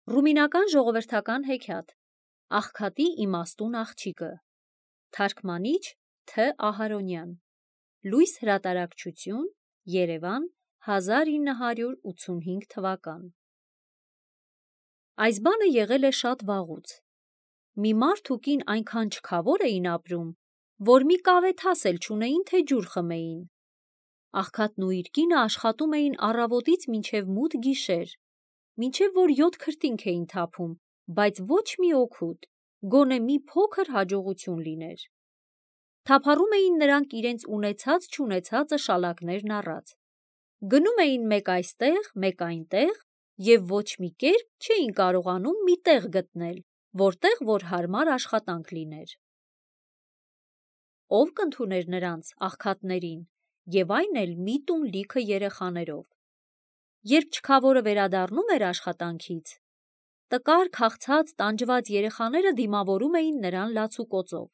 Ռումինական ժողովրդական հեքիաթ Աղքատի իմաստուն աղջիկը Թարգմանիչ Თ. Ահարոնյան Լույս հրատարակչություն Երևան 1985 թվական Այս բանը եղել է շատ վաղուց։ Մի մարդ ու կին այնքան չքավոր էին ապրում, որ մի կավեթաս էլ չունեին, թե ջուր խմեին։ Աղքատն ու իր կինը աշխատում էին առավոտից մինչև մութ գիշեր, մինչև որ 7 քրտինք էին թափում, բայց ոչ մի օգուտ, գոնե մի փոքր հաջողություն լիներ։ Թափառում էին նրանք իրենց ունեցած-չունեցածը շալակներն առած։ Գնում էին մեկ այստեղ, մեկ այնտեղ և ոչ մի կերպ չէին կարողանում մի տեղ գտնել, որտեղ որ հարմար աշխատանք լիներ։ Ո՞վ կընդուներ նրանց աղքատներին, և այն էլ մի տուն լիքը երեխաներով։ Երբ չքավորը վերադառնում էր աշխատանքից, տկար, քաղցած, տանջված երեխաները դիմավորում էին նրան լացուկոծով.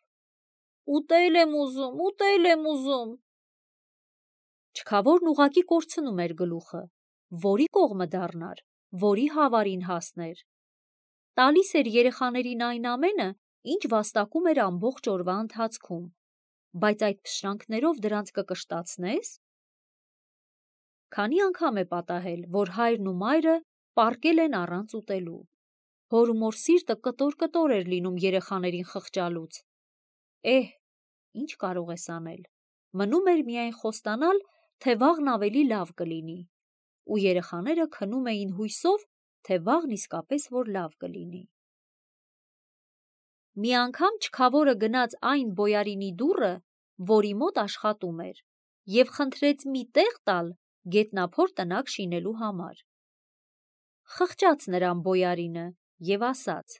«Ուտել եմ ուզում, ուտել եմ ուզում»։ Չքավորն ուղղակի կորցնում էր գլուխը, որի կողմը դառնար, որի հավարին հասներ։ Տալիս էր երեխաներին այն ամենը, ինչ վաստակում էր ամբողջ օրվա ընթացքում, բայց այդ փշրանքներով դրանց կկշտացնե՞ս։ Քանի անգամ է պատահել, որ հայրն ու մայրը պառկել են առանց ուտելու։ Հոր ու մոր սիրտը կտոր-կտոր էր լինում երեխաներին խղճալուց։ Ինչ կարող ես անել։ Մնում էր միայն խոստանալ, թե վաղն ավելի լավ կլինի, ու երեխաները քնում էին հույսով, թե վաղն իսկապես որ լավ կլինի։ Մի անգամ չքավորը գնաց այն բոյարինի դուռը, որի մոտ աշխատում էր, և խնդրեց մի տեղ տալ գետնափոր տնակ շինելու համար։ Խղճաց նրան բոյարինը և ասաց.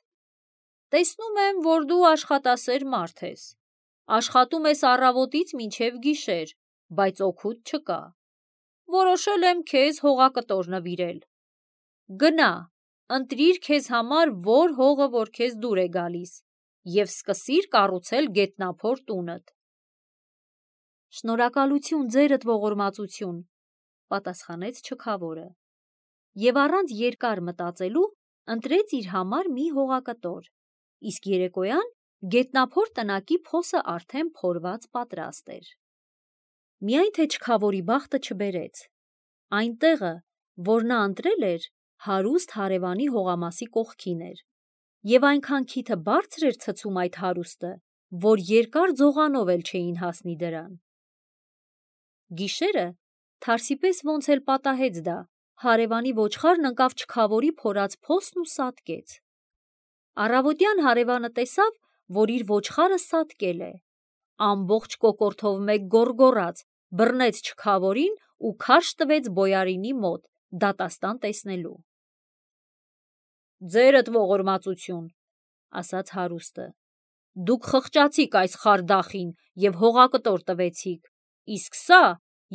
«Տեսնում եմ, որ դու աշխատասեր մարդ ես, աշխատում ես առավոտից մինչև գիշեր, բայց օգուտ չկա։ Որոշել եմ քեզ հողակտոր նվիրել։ Գնա, ընտրիր քեզ համար որ հողը, որ քեզ դուր է գալիս, և սկսիր կառուցել գետնափոր տունդ»։ «Շնորհակալություն ձերդ ողորմածություն», պատասխանեց չքավորը, և առանց երկար մտածելու ընտրեց իր համար մի հողակտոր, իսկ երեկոյան գետնափոր տնակի փոսը արդեն փորված պատրաստ էր։ Միայն թե չքավորի բախտը չբերեց։ Այն տեղը, որ նա ընտրել էր, հարուստ հարևանի հողամասի կողքին էր, և այնքան քիթը բարձր էր ցցում այդ հարուստը, որ երկար ձողանով էլ չէին հասնի դրան։ Գիշերը, թարսի պես ոնց էլ պատահեց դա, հարևանի ոչխարն ընկավ չքավորի փորած փոսն ու սատկեց։ Առավոտյան հարևանը տեսավ, որ իր ոչխարը սատկել է։ Ամբողջ կոկորդով մեկ գոռգոռաց, բռնեց չքավորին ու քարշ տվեց բոյարինի մոտ, դատաստան տեսնելու։ «Ձերդ ողորմածություն», ասաց հարուստը, «դուք խղճացիք այս խարդախին և հողակտոր տվեցիք, իսկ սա,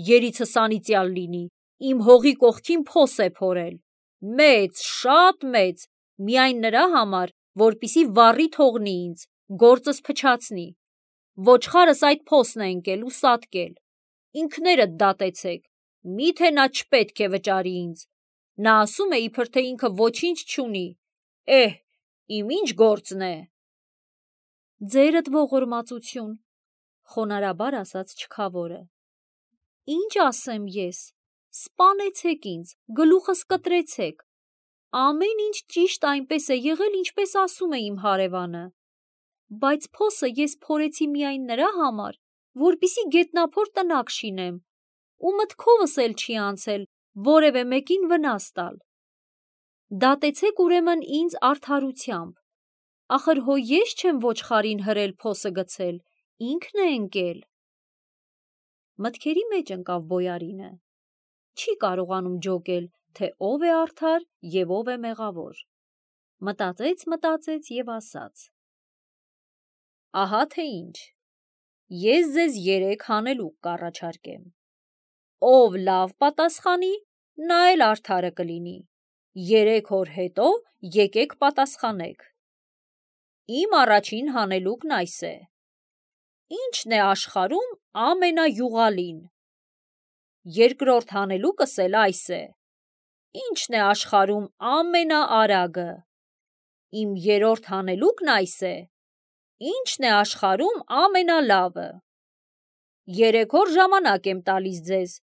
երիցս անիծյալ լինի, իմ հողի կողքին փոս է փորել, մեծ, շատ մեծ, միայն նրա համար, որպեսզի վառի թողնի ինձ, գործս փչացնի։ Ոչխարս այդ փոսն է ընկել ու սատկել։ Ինքներդ դատեցեք, միթե նա չպետք է վճարի ինձ։ Նա ասում է, իբր թե ինքը ոչինչ չունի։ Իմ ինչ գործն է»։ «Ձերդ ողորմածություն», խոնարհաբար ասաց չքավորը։ «Ինչ ասեմ ես, սպանեցեք ինձ, գլուխս կտրեցեք։ Ամեն ինչ ճիշտ այնպես է եղել, ինչպես ասում է իմ հարևանը, բայց փոսը ես փորեցի միայն նրա համար, որպեսզի գետնափոր տնակ շինեմ, ու մտքովս էլ չի անցել որևէ մեկին վնաս տալ։ Դատեցեք ուրեմն ինձ արդարությամբ, ախր հո ես չեմ ոչխարին հրել փոսը գցել, ինքն է ընկել»։ Մտքերի մեջ ընկավ բոյարինը։ Չի կարողանում ջոկել, թե ով է արդար և ով է մեղավոր։ Մտածեց և ասաց. «Ահա թե ինչ, ես ձեզ 3 հանելուկ կառաջարկեմ։ Ով լավ պատասխանի, նա էլ արդարը կլինի, 3 օր հետո եկեք պատասխանեք։ Իմ առաջին հանելուկն այս է. ի՞նչն է աշխարհում ամենայուղալին։ Երկրորդ հանելուկս էլ այս է. ի՞նչն է աշխարհում ամենաարագը։ Իմ երրորդ հանելուկն այս է. ի՞նչն է աշխարհում ամենալավը։ 3 օր ժամանակ եմ տալիս ձեզ,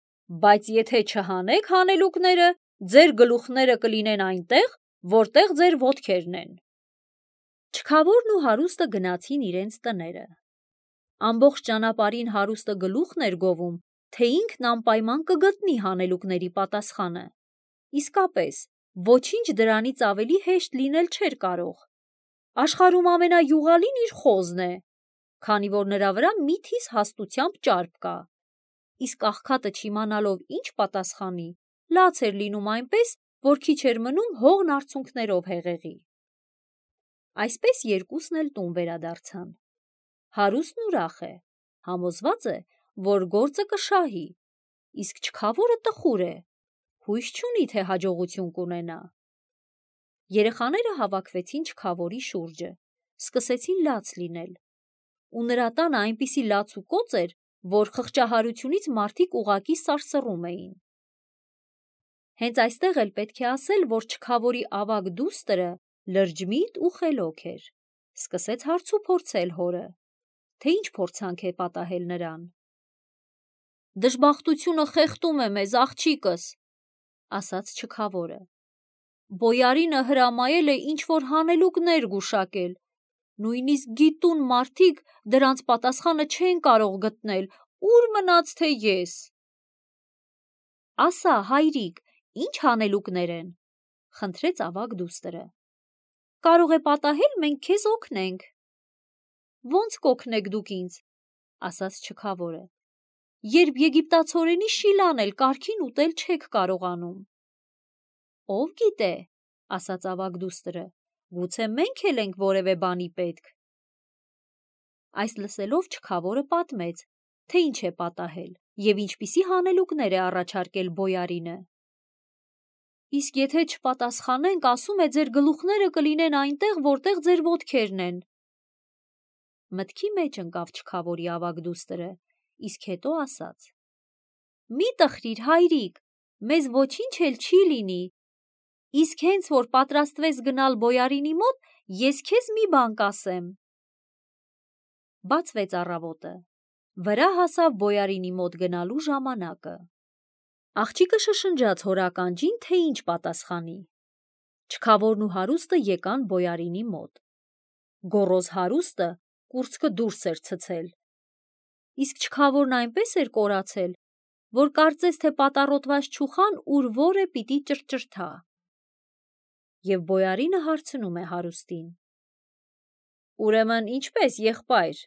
բայց եթե չհանեք հանելուկները, ձեր գլուխները կլինեն այնտեղ, որտեղ ձեր ոտքերն են։ Չքավորն ու հարուստը գնացին իրենց տները։ Ամբողջ ճանապարհին հարուստը գլուխն էր գովում, թե ինքն անպայման կգտնի հանելուկների պատասխանը։ Իսկապես, ոչինչ դրանից ավելի հեշտ լինել չէր կարող։ Աշխարհում ամենայուղալին իր խոզն է, քանի որ նրա վրա միթիս հաստությամբ ճարպ կա։ Իսկ աղքատը չիմանալով ինչ պատասխանի, լաց էր լինում այնպես, որ քիչ էր մնում հողն արցունքներով հեղեղի։ Այսպես երկուսն էլ տուն վերադարձան։ Հարուստն ուրախ է, համոզված է, որ գործը կշահի, իսկ չքավորը տխուր է, հույս չունի, թե հաջողություն կունենա։ Երեխաները հավաքվեցին չքավորի շուրջը, սկսեցին լաց լինել, ու նրա տանը այնպիսի լաց ու կոծ էր, որ խղճահարությունից մարդիկ ուղղակի սարսռում էին։ Հենց այստեղ էլ պետք է ասել, որ չքավորի ավագ դուստրը լրջմիտ ու խելոք էր, սկսեց հարց ու փորձել հորը, թե ինչ փորձանք է պատահել նրան։ Դժբախտությունը խեղդում է մեզ, աղջիկս, ասաց չքավորը։ Բոյարինը հրամայել է ինչ-որ հանելուկներ գուշակել, նույնիսկ գիտուն մարդիկ դրանց պատասխանը չեն կարող գտնել, ուր մնաց թե ես։ Ասա, հայրիկ, ինչ հանելուկներ են, խնդրեց ավագ դուստրը։ Կարող է պատահել, մենք քեզ օգնենք։ Ոնց կօգնեք դուք ինձ, ասաց չքավորը, երբ եգիպտացորենի շիլան էլ կարգին ուտել չեք կարողանում։ Ով գիտե, ասաց ավագ դուստրը, գուցե մենք էլ ենք որևէ բանի պետք։ Այս լսելով չքավորը պատմեց, թե ինչ է պատահել և ինչպիսի հանելուկներ է առաջարկել բոյարինը։ Իսկ եթե չպատասխանենք, ասում է, ձեր գլուխները կլինեն այնտեղ, որտեղ ձեր ոտքերն են։ Մտքի մեջ ընկավ չքավորի ավագ դուստրը, իսկ հետո ասաց. Մի տխրիր, հայրիկ, մեզ ոչինչ էլ չի լինի, իսկ հենց որ պատրաստվես գնալ բոյարինի մոտ, ես քեզ մի բան կասեմ։ Բացվեց առավոտը, վրա հասավ բոյարինի մոտ գնալու ժամանակը։ Աղջիկը շշնջաց հոր ականջին, թե ինչ պատասխանի։ Չքավորն ու հարուստը եկան բոյարինի մոտ։ Գոռոզ հարուստը կուրծքը դուրս էր ցցել, իսկ չքավորն այնպես էր կորացել, որ կարծես թե պատառոտված չուխան ուր որ է պիտի ճրճրթա։ Եվ բոյարինը հարցնում է հարուստին. Ուրեմն ինչպես, եղբայր,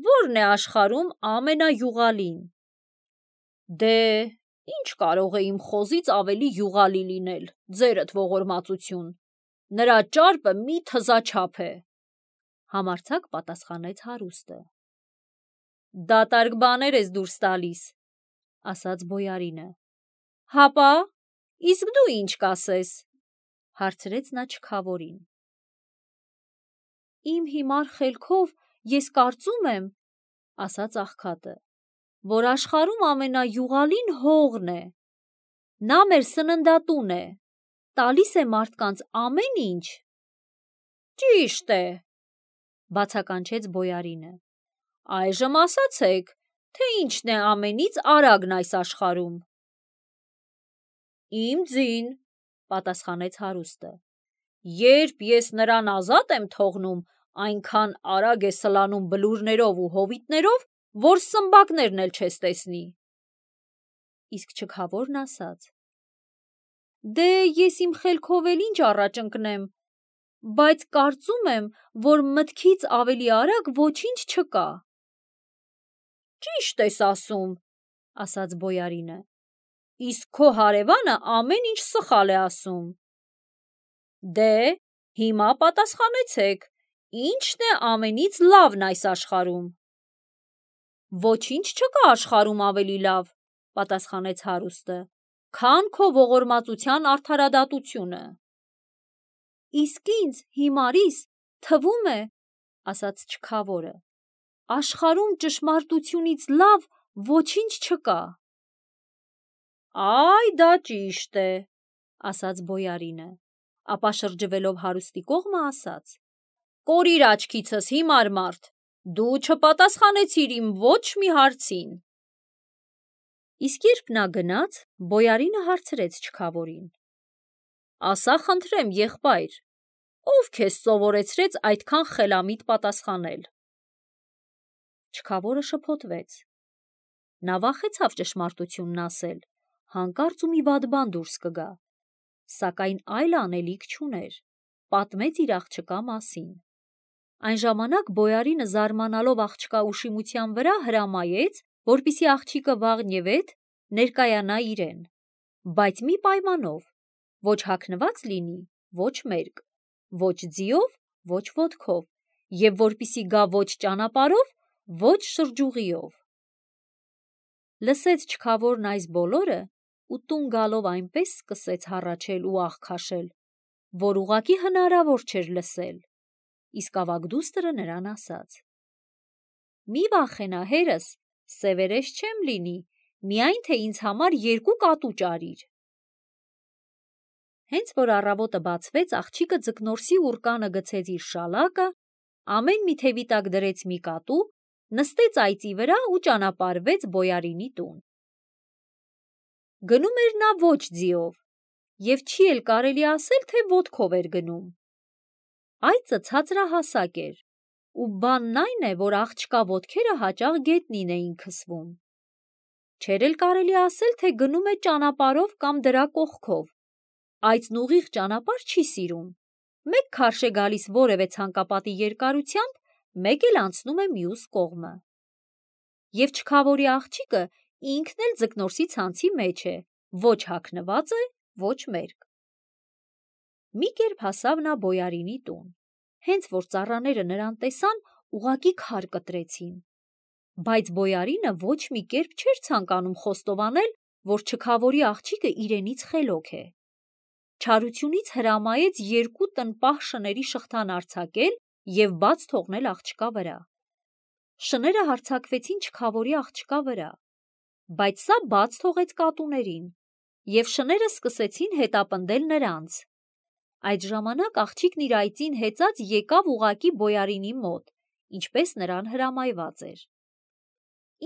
ո՞րն է աշխարհում ամենայուղալին։ Դե, ինչ կարող է իմ խոզից ավելի յուղալի լինել, ձերդ ողորմածություն, նրա ճարպը մի թզաչափ է, համարձակ պատասխանեց հարուստը։ Դատարկ բաներ ես դուրս տալիս, ասաց բոյարինը։ Հապա, իսկ դու ինչ կասես, հարցրեց նա չքավորին։ Իմ հիմար խելքով ես կարծում եմ, ասաց աղքատը, որ աշխարհում ամենայուղալին հողն է։ Նա մեր սննդատուն է, տալիս է մարդկանց ամեն ինչ։ Ճիշտ է, բացականչեց բոյարինը։ Այժմ ասացեք, թե ինչն է ամենից արագն այս աշխարհում։ Իմ ձին, պատասխանեց հարուստը։ Երբ ես նրան ազատ եմ թողնում, այնքան արագ է սլանում բլուրներով ու հովիտներով, որ սմբակներն էլ չես տեսնի։ Իսկ չքավորն ասաց. Դե ես իմ խելքով էլ ինչ առաջ ընկնեմ, բայց կարծում եմ, որ մտքից ավելի արագ ոչինչ չկա։ Ճիշտ ես ասում, ասաց բոյարինը, իսկ քո հարևանը ամեն ինչ սխալ է ասում։ Դե, հիմա պատասխանեցեք, ինչն է ամենից լավն այս աշխարհում։ Ոչինչ չկա աշխարհում ավելի լավ, պատասխանեց հարուստը, քան քո ողորմածության արդարադատությունը։ Իսկ ինձ, հիմարիս, թվում է, ասաց չքավորը, աշխարհում ճշմարտությունից լավ ոչինչ չկա։ Այ դա ճիշտ է, ասաց բոյարինը, ապա շրջվելով հարուստի կողմը ասաց. «Կորիր աչքիցս, հիմար մարդ, դու չպատասխանեցիր իմ ոչ մի հարցին»։ Իսկ երբ նա գնաց, բոյարինը հարցրեց չքավորին. «Ասա խնդրեմ, եղբայր, ով քեզ սովորեցրեց այդքան խելամիտ պատասխանել»։ Չքավորը շփոթվեց։ Նա վախեցավ ճշմարտությունն ասել, հանկարծ ու մի վատ բան դուրս կգա, սակայն այլ անելիք չուներ, պատմեց իր աղջկա մասին։ Այն ժամանակ բոյարինը զարմանալով աղջկա ուշիմության վրա հրամայեց, որպեսզի աղջիկը վաղնյևեթ ներկայանա իրեն, բայց մի պայմանով, ոչ հագնված լինի, ոչ մերկ, ոչ ձիով, ոչ ոտքով, և որպեսզի գա ոչ ճանապարհով, ոչ շրջուղիով։ Լսեց չքավորն այս բոլորը ու տուն գալով այնպես սկսեց հառաչել ու աղ քաշել, որ ուղղակի հնարավոր չէր լսել, իսկ ավագ դուստրը նրան ասաց. «Մի վախենա, հերս, սևերես չեմ լինի, միայն թե ինձ համար 2 կատու ճարիր»։ Հենց որ առավոտը բացվեց, աղջիկը ձկնորսի ուռկանը գցեց իր շալակը, ամեն մի թևի տակ դրեց մի կատու, նստեց այծի վրա ու ճանապարհվեց բոյարինի տուն։ Գնում էր նա ոչ ձիով, և չի էլ կարելի ասել, թե ոտքով էր գնում։ Այծը ցածրահասակ էր, ու բանն այն է, որ աղջկա ոտքերը հաճախ գետնին էին քսվում։ Չէր էլ կարելի ասել, թե գնում է ճանապարհով կամ դրա կողքով։ Այծն ուղիղ ճանապարհ չի սիրում, մեկ քարշ է գալիս որևէ ցանկապատի երկարությամբ, մեկ էլ անցնում է մյուս կողմը։ Եվ չքավորի աղջիկը ինքն էլ ձկնորսի ցանցի մեջ է, ոչ հագնված է, ոչ մերկ։ Մի կերպ հասավ նա բոյարինի տուն, հենց որ ծառաները նրան տեսան, ուղղակի քար կտրեցին։ Բայց բոյարինը ոչ մի կերպ չէր ցանկանում խոստովանել, որ չքավորի աղջիկը իրենից խելոք է։ Չարությունից հրամայեց 2 տնպահ շների շղթան արձակել և բաց թողնել աղջկա վրա։ Շները հարձակվեցին չքավորի աղջկա վրա, բայց սա բաց թողեց կատուներին, և շները սկսեցին հետապնդել նրանց։ Այդ ժամանակ աղջիկն իր այծին հեծած եկավ ուղղակի բոյարինի մոտ, ինչպես նրան հրամայված էր։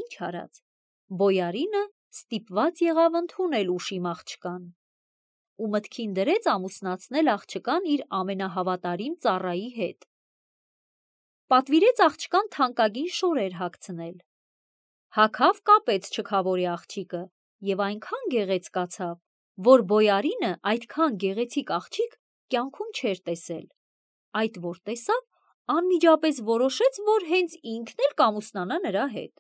Ինչ արած, բոյարինը ստիպված եղավ ընդունել ուշիմ աղջկան ու մտքին դրեց ամուսնացնել աղջկան իր ամենահավատարիմ ծառայի հետ։ Պատվիրեց աղջկան թանկագին շորեր հագցնել։ Հագավ կապեց չքավորի աղջիկը և այնքան գեղեցկացավ, որ բոյարինը այդքան գեղեցիկ աղջիկ կյանքում չէր տեսել։ Այդ որ տեսավ, անմիջապես որոշեց, որ հենց ինքն էլ կամուսնանա նրա հետ։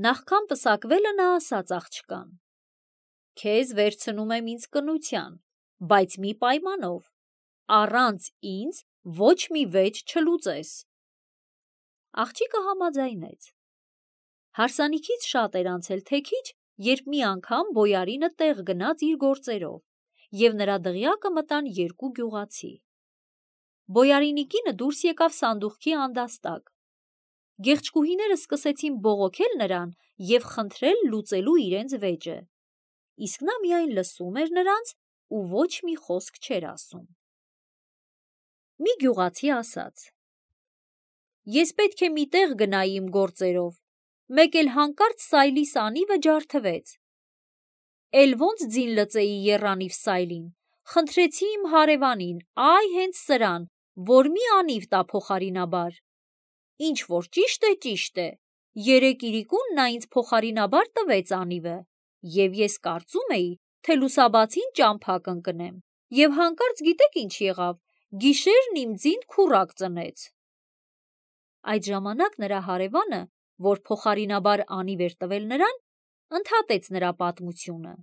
Նախքան պսակվելը նա ասաց աղջկան. «Քեզ վերցնում եմ ինձ կնության, բայց մի պայմանով, առանց ինձ ոչ մի վեճ չլուծես»։ Աղջիկը համաձայնեց։ Հարսանիքից շատ էր անցել թե քիչ, երբ մի անգամ բոյարինը տեղ գնաց իր գործերով, և նրա դղյակը մտան 2 գյուղացի։ Բոյարինի կինը դուրս եկավ սանդուղքի անդաստակ։ Գեղչկուհիները սկսեցին բողոքել նրան և խնդրել լուծելու իրենց վեճը, իսկ նա միայն լսում էր նրանց ու ոչ մի խոսք չէր ասում։ Մի գյուղացի ասաց. «Ես պետք է մի տեղ գնայի իմ գործերով, մեկ էլ հանկարծ սայլիս անիվը ջարդվեց։ Էլ ոնց ձին լծեի եռանիվ սայլին, խնդրեցի իմ հարևանին, այ հենց սրան, որ մի անիվ տա փոխարինաբար։ Ինչ որ ճիշտ է, երեկ իրիկուն նա ինձ փոխարինաբար տվեց անիվը, և ես կարծում էի, թե լուսաբացին ճամփա կընկնեմ, և հանկարծ գիտեք ինչ եղավ, գիշերն իմ ձին քուռակ ծնեց»։ Այդ ժամանակ նրա հարևանը, որ փոխարինաբար անիվ էր տվել նրան, ընդհատեց նրա պատմությունը։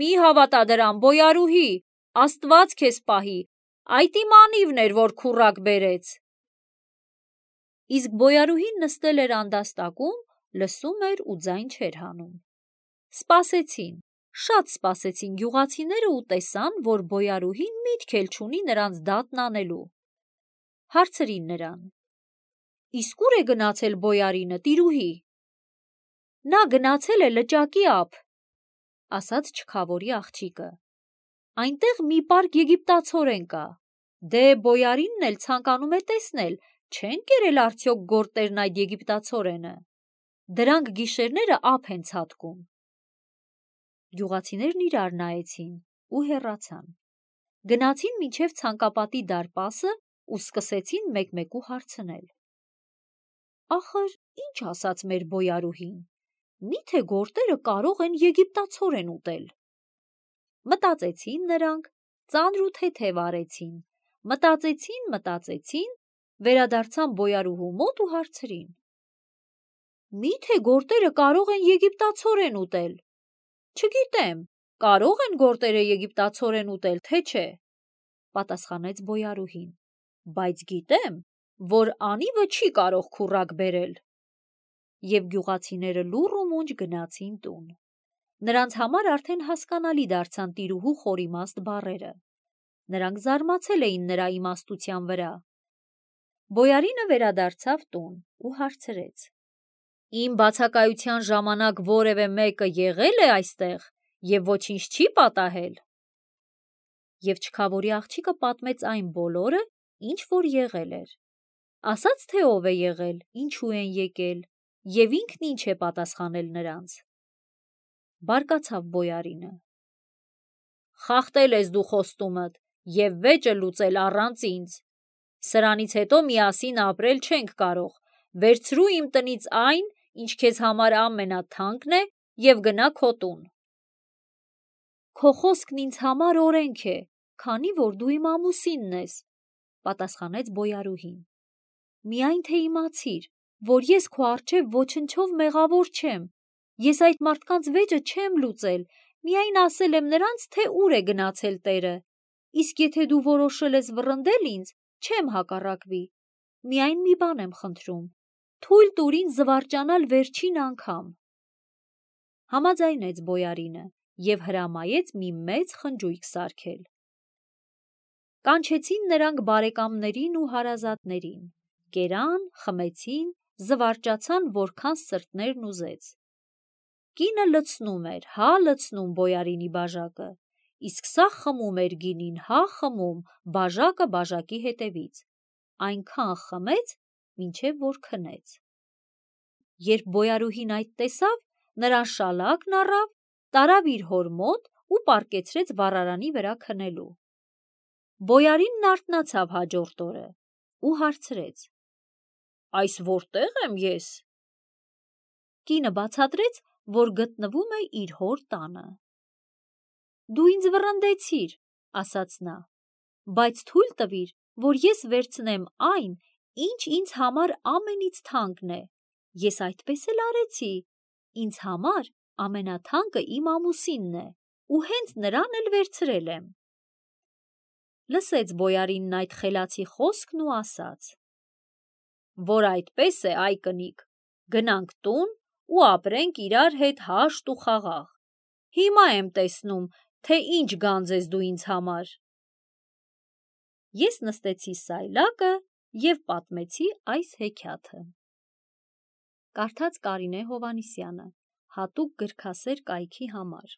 «Մի հավատա դրան, բոյարուհի, Աստված քեզ պահի, այդ իմ անիվն էր, որ քուռակ բերեց»։ Իսկ բոյարուհին նստել էր անդաստակում, լսում էր ու ձայն չէր հանում։ Սպասեցին, շատ սպասեցին գյուղացիները ու տեսան, որ բոյարուհին միտք էլ չունի նրանց դատն անելու։ Հարցրին նրան. «Իսկ ուր է գնացել բոյարինը, տիրուհի»։ «Նա գնացել է լճակի ափ», ասաց չքավորի աղջիկը։ Այնտեղ մի պարկ եգիպտացորեն կա։ Դե բոյարինն էլ ցանկանում է տեսնել, չեն կերել արդյոք գորտերն այդ եգիպտացորենը։ Դրանք գիշերները ափ են ցատկում։ Գյուղացիներն իրար նայեցին ու հեռացան։ Գնացին մինչև ցանկապատի դարպասը ու սկսեցին մեկ-մեկու հարցնել։ Ախր ինչ ասաց մեր բոյարուհին, միթե գորտերը կարող են եգիպտացորեն ուտել։ Մտածեցին նրանք, ծանր ու թեթև արեցին, մտածեցին, վերադարձան բոյարուհու մոտ ու հարցրին. Միթե գորտերը կարող են եգիպտացորեն ուտել։ Չգիտեմ, կարող են գորտերը եգիպտացորեն ուտել, թե չէ, պատասխանեց բոյարուհին, բայց գիտեմ, որ անիվը չի կարող քուռակ բերել։ Եվ գյուղացիները լուռ ու մունջ գնացին տուն։ Նրանց համար արդեն հասկանալի դարձան տիրուհու խորիմաստ բառերը։ Նրանք զարմացել էին նրա իմաստության վրա։ Բոյարինը վերադարձավ տուն ու հարցրեց. Իմ բացակայության ժամանակ որևէ մեկը եղել է այստեղ և ոչինչ չի պատահել։ Եվ չքավորի աղջիկը պատմեց այն բոլորը, ինչ որ եղել էր։ Ասաց, թե ով է եղել, ինչու են եկել և ինքն ինչ է պատասխանել նրանց։ Բարկացավ բոյարինը. Խախտել ես դու խոստումդ և վեճը լուծել առանց ինձ։ Սրանից հետո միասին ապրել չենք կարող, վերցրու իմ տնից այն, ինչ քեզ համար ամենաթանկն է և գնա քո տուն։ Քո խոսքն ինձ համար օրենք է, քանի որ դու իմ ամուսինն ես, պատասխանեց բոյարուհին։ Միայն թե իմացիր, որ ես քո առջև ոչնչով մեղավոր չեմ, ես այդ մարդկանց վեճը չեմ լուծել, միայն ասել եմ նրանց, թե ուր է գնացել տերը, իսկ եթե դու որոշել ես վռնդել ինձ, չեմ հակառակվի, միայն մի բան եմ խնդրում, թույլ տուր ինձ զվարճանալ վերջին անգամ։ Համաձայնեց բոյարինը և հրամայեց մի մեծ խնջույք սարքել։ Կանչեցին նրանք բարեկամներին ու հարազատներին, կերան, խմեցին, զվարճացան, որքան սրտներն ուզեց։ Կինը լցնում էր, լցնում բոյարինի բաժակը, իսկ սա խմում էր գինին, խմում, բաժակը բաժակի հետևից, այնքան խմեց, մինչև որ քնեց։ Երբ բոյարուհին այդ տեսավ, նրան շալակն առավ, տարավ իր հոր մոտ ու պառկեցրեց վառարանի վրա քնելու։ Բոյարինն արթնացավ հաջորդ օրը ու հարցրեց. Այս որտե՞ղ եմ ես։ Կինը բացատրեց, որ գտնվում է իր հոր տանը։ Դու ինձ վռնդեցիր, ասաց նա, բայց թույլ տվիր, որ ես վերցնեմ այն, ինչ ինձ համար ամենից թանկն է։ Ես այդպես էլ արեցի, ինձ համար ամենաթանկը իմ ամուսինն է ու հենց նրան էլ վերցրել եմ։ Լսեց բոյարինն այդ խելացի խոսքն ու ասաց. Որ այդպես է, այ կնիկ, գնանք տուն ու ապրենք իրար հետ հաշտ ու խաղաղ։ Հիմա եմ տեսնում, թե ինչ գանձ ես դու ինձ համար։ Ես նստեցի սայլակը և պատմեցի այս հեքիաթը։ Կարդաց Կարինե Հովհաննիսյանը, հատուկ գրքասեր կայքի համար։